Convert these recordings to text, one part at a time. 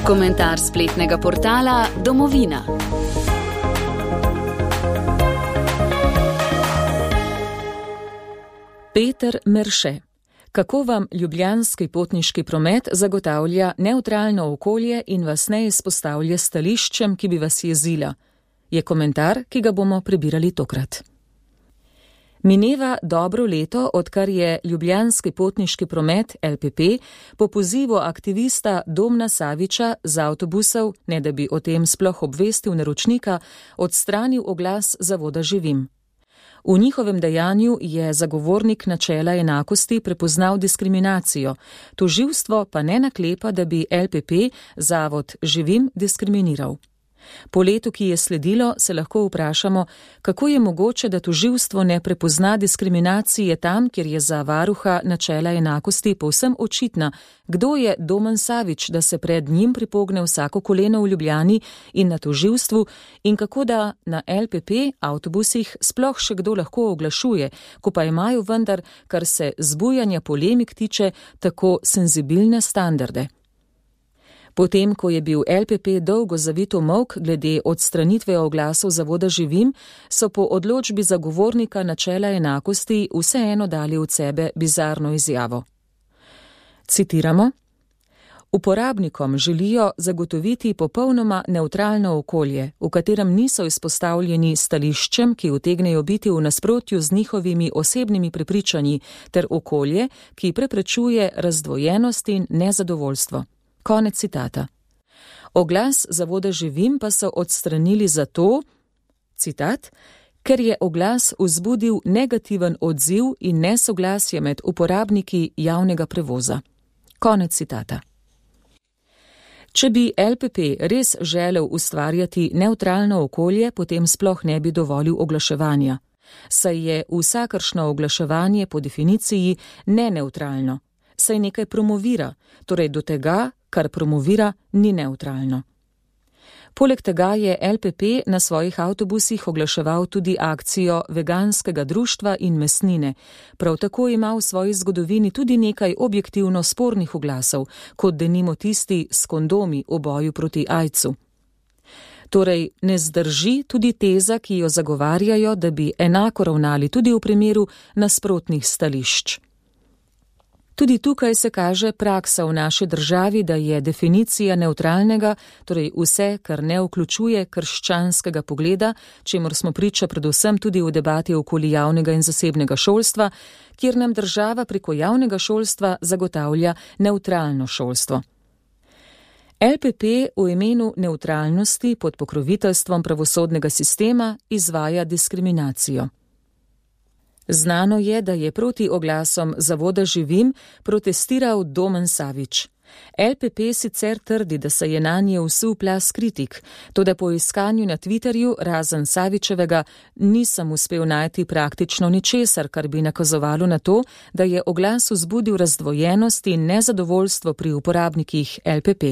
Komentar spletnega portala Domovina. Peter Merše. Kako vam ljubljanski potniški promet zagotavlja nevtralno okolje in vas ne izpostavlja stališčem, ki bi vas jezila? Je komentar, ki ga bomo prebirali tokrat. Mineva dobro leto, odkar je ljubljanski potniški promet LPP po pozivu aktivista Domna Saviča z avtobusov, ne da bi o tem sploh obvestil naročnika, odstranil oglas zavoda Živim. V njihovem dejanju je zagovornik načela enakosti prepoznal diskriminacijo, tožilstvo pa ne naklepa, da bi LPP zavod Živim diskriminiral. Po letu, ki je sledilo, se lahko vprašamo, kako je mogoče, da tožilstvo ne prepozna diskriminacije tam, kjer je za varuha načela enakosti povsem očitna, kdo je Domen Savič, da se pred njim pripogne vsako koleno v Ljubljani in na tožilstvu, in kako da na LPP avtobusih sploh še kdo lahko oglašuje, ko pa imajo vendar, kar se zbujanja polemik tiče, tako senzibilne standarde. Potem, ko je bil LPP dolgo zavito molk glede odstranitve oglasov zavoda Živim, so po odločbi zagovornika načela enakosti vseeno dali od sebe bizarno izjavo. Citiramo: Uporabnikom želijo zagotoviti popolnoma nevtralno okolje, v katerem niso izpostavljeni stališčem, ki utegnejo biti v nasprotju z njihovimi osebnimi prepričanji, ter okolje, ki preprečuje razdvojenost in nezadovoljstvo. Konec citata. Oglas zavoda Živim pa so odstranili zato, citat, ker je oglas vzbudil negativen odziv in nesoglasje med uporabniki javnega prevoza. Konec citata. Če bi LPP res želel ustvarjati nevtralno okolje, potem sploh ne bi dovolil oglaševanja, saj je vsakršno oglaševanje po definiciji neneutralno, saj nekaj promovira, torej do tega, kar promovira, ni neutralno. Poleg tega je LPP na svojih avtobusih oglaševal tudi akcijo veganskega društva in mesnine. Prav tako ima v svoji zgodovini tudi nekaj objektivno spornih oglasov, kot denimo tisti s kondomi v boju proti aidsu. Torej, ne zdrži tudi teza, ki jo zagovarjajo, da bi enako ravnali tudi v primeru nasprotnih stališč. Tudi tukaj se kaže praksa v naši državi, da je definicija nevtralnega, torej vse, kar ne vključuje krščanskega pogleda, čemur smo priča predvsem tudi v debati okoli javnega in zasebnega šolstva, kjer nam država preko javnega šolstva zagotavlja nevtralno šolstvo. LPP v imenu nevtralnosti pod pokroviteljstvom pravosodnega sistema izvaja diskriminacijo. Znano je, da je proti oglasom zavoda Živim protestiral Domen Savič. LPP sicer trdi, da se je nanje vsul plaz kritik, toda po iskanju na Twitterju, razen Savičevega, nisem uspel najti praktično ničesar, kar bi nakazovalo na to, da je oglas vzbudil razdvojenost in nezadovoljstvo pri uporabnikih LPP.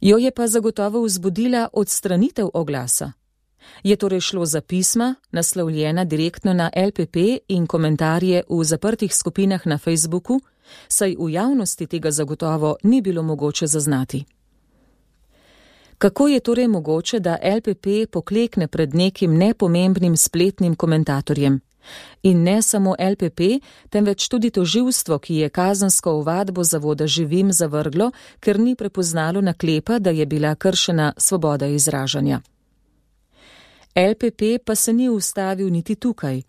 Jo je pa zagotovo vzbudila odstranitev oglasa. Je torej šlo za pisma, naslovljena direktno na LPP in komentarje v zaprtih skupinah na Facebooku, saj v javnosti tega zagotovo ni bilo mogoče zaznati. Kako je torej mogoče, da LPP poklekne pred nekim nepomembnim spletnim komentatorjem? In ne samo LPP, temveč tudi tožilstvo, ki je kazensko ovadbo zavoda Živim zavrglo, ker ni prepoznalo naklepa, da je bila kršena svoboda izražanja. LPP pa se ni ustavil niti tukaj.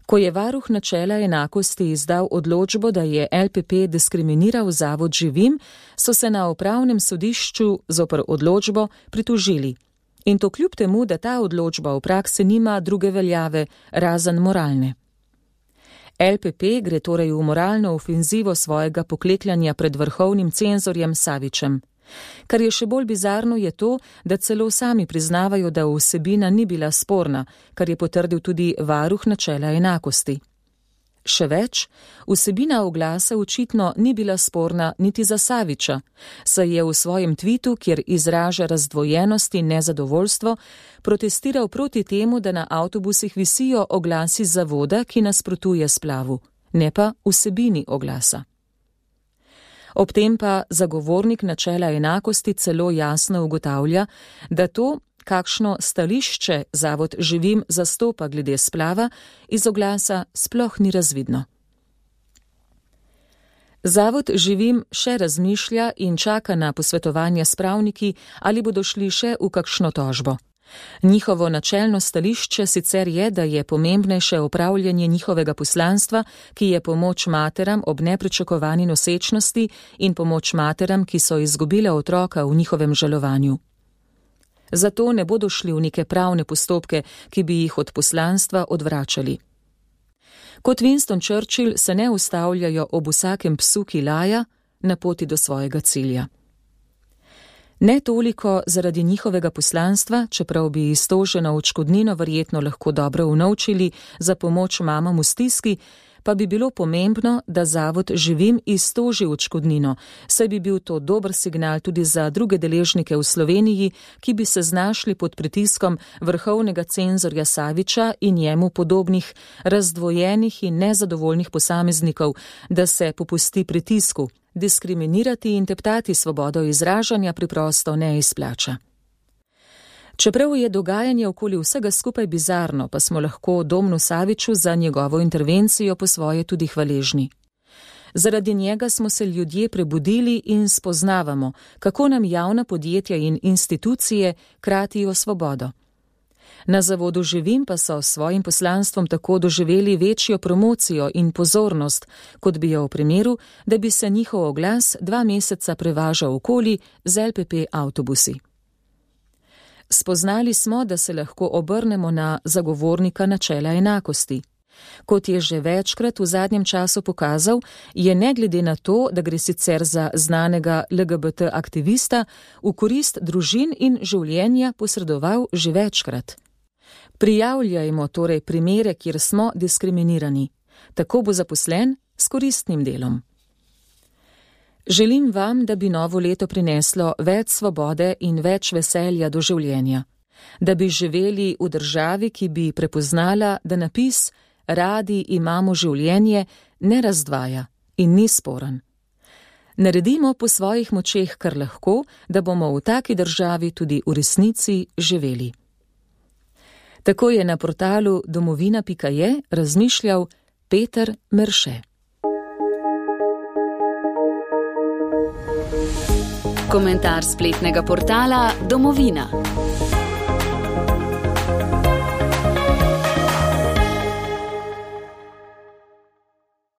Ko je varuh načela enakosti izdal odločbo, da je LPP diskriminiral zavod Živim, so se na upravnem sodišču zoper odločbo pritožili. In to kljub temu, da ta odločba v praksi nima druge veljave, razen moralne. LPP gre torej v moralno ofenzivo svojega poklekljanja pred vrhovnim cenzorjem Savičem. Kar je še bolj bizarno je to, da celo sami priznavajo, da vsebina ni bila sporna, kar je potrdil tudi varuh načela enakosti. Še več, vsebina oglasa očitno ni bila sporna niti za Saviča, saj je v svojem tvitu, kjer izraža razdvojenost in nezadovoljstvo, protestiral proti temu, da na avtobusih visijo oglasi zavoda, ki nasprotuje splavu, ne pa vsebini oglasa. Ob tem pa zagovornik načela enakosti celo jasno ugotavlja, da to, kakšno stališče Zavod Živim zastopa glede splava, iz oglasa sploh ni razvidno. Zavod Živim še razmišlja in čaka na posvetovanja s pravniki, ali bodo šli še v kakšno tožbo. Njihovo načelno stališče sicer je, da je pomembnejše opravljanje njihovega poslanstva, ki je pomoč materam ob nepričakovani nosečnosti in pomoč materam, ki so izgubile otroka v njihovem žalovanju. Zato ne bodo šli v neke pravne postopke, ki bi jih od poslanstva odvračali. Kot Winston Churchill se ne ustavljajo ob vsakem psu, ki laja, na poti do svojega cilja. Ne toliko zaradi njihovega poslanstva, čeprav bi iztoženo odškodnino verjetno lahko dobro unovčili za pomoč mamam v stiski, pa bi bilo pomembno, da Zavod Živim iztoži odškodnino, saj bi bil to dober signal tudi za druge deležnike v Sloveniji, ki bi se znašli pod pritiskom vrhovnega cenzorja Saviča in njemu podobnih razdvojenih in nezadovoljnih posameznikov, da se popusti pritisku. Diskriminirati in teptati svobodo izražanja preprosto ne izplača. Čeprav je dogajanje okoli vsega skupaj bizarno, pa smo lahko Domnu Saviču za njegovo intervencijo po svoje tudi hvaležni. Zaradi njega smo se ljudje prebudili in spoznavamo, kako nam javna podjetja in institucije kratijo svobodo. Na Zavodu Živim pa so s svojim poslanstvom tako doživeli večjo promocijo in pozornost, kot bi jo v primeru, da bi se njihov oglas 2 meseca prevažal okoli z LPP avtobusi. Spoznali smo, da se lahko obrnemo na zagovornika načela enakosti. Kot je že večkrat v zadnjem času pokazal, je ne glede na to, da gre sicer za znanega LGBT aktivista, v korist družin in življenja posredoval že večkrat. Prijavljajmo torej primere, kjer smo diskriminirani. Tako bo zaposlen s koristnim delom. Želim vam, da bi novo leto prineslo več svobode in več veselja do življenja. Da bi živeli v državi, ki bi prepoznala, da napis "Radi imamo življenje" ne razdvaja in ni sporen. Naredimo po svojih močeh kar lahko, da bomo v taki državi tudi v resnici živeli. Tako je na portalu domovina.je razmišljal Peter Merše. Komentar spletnega portala Domovina.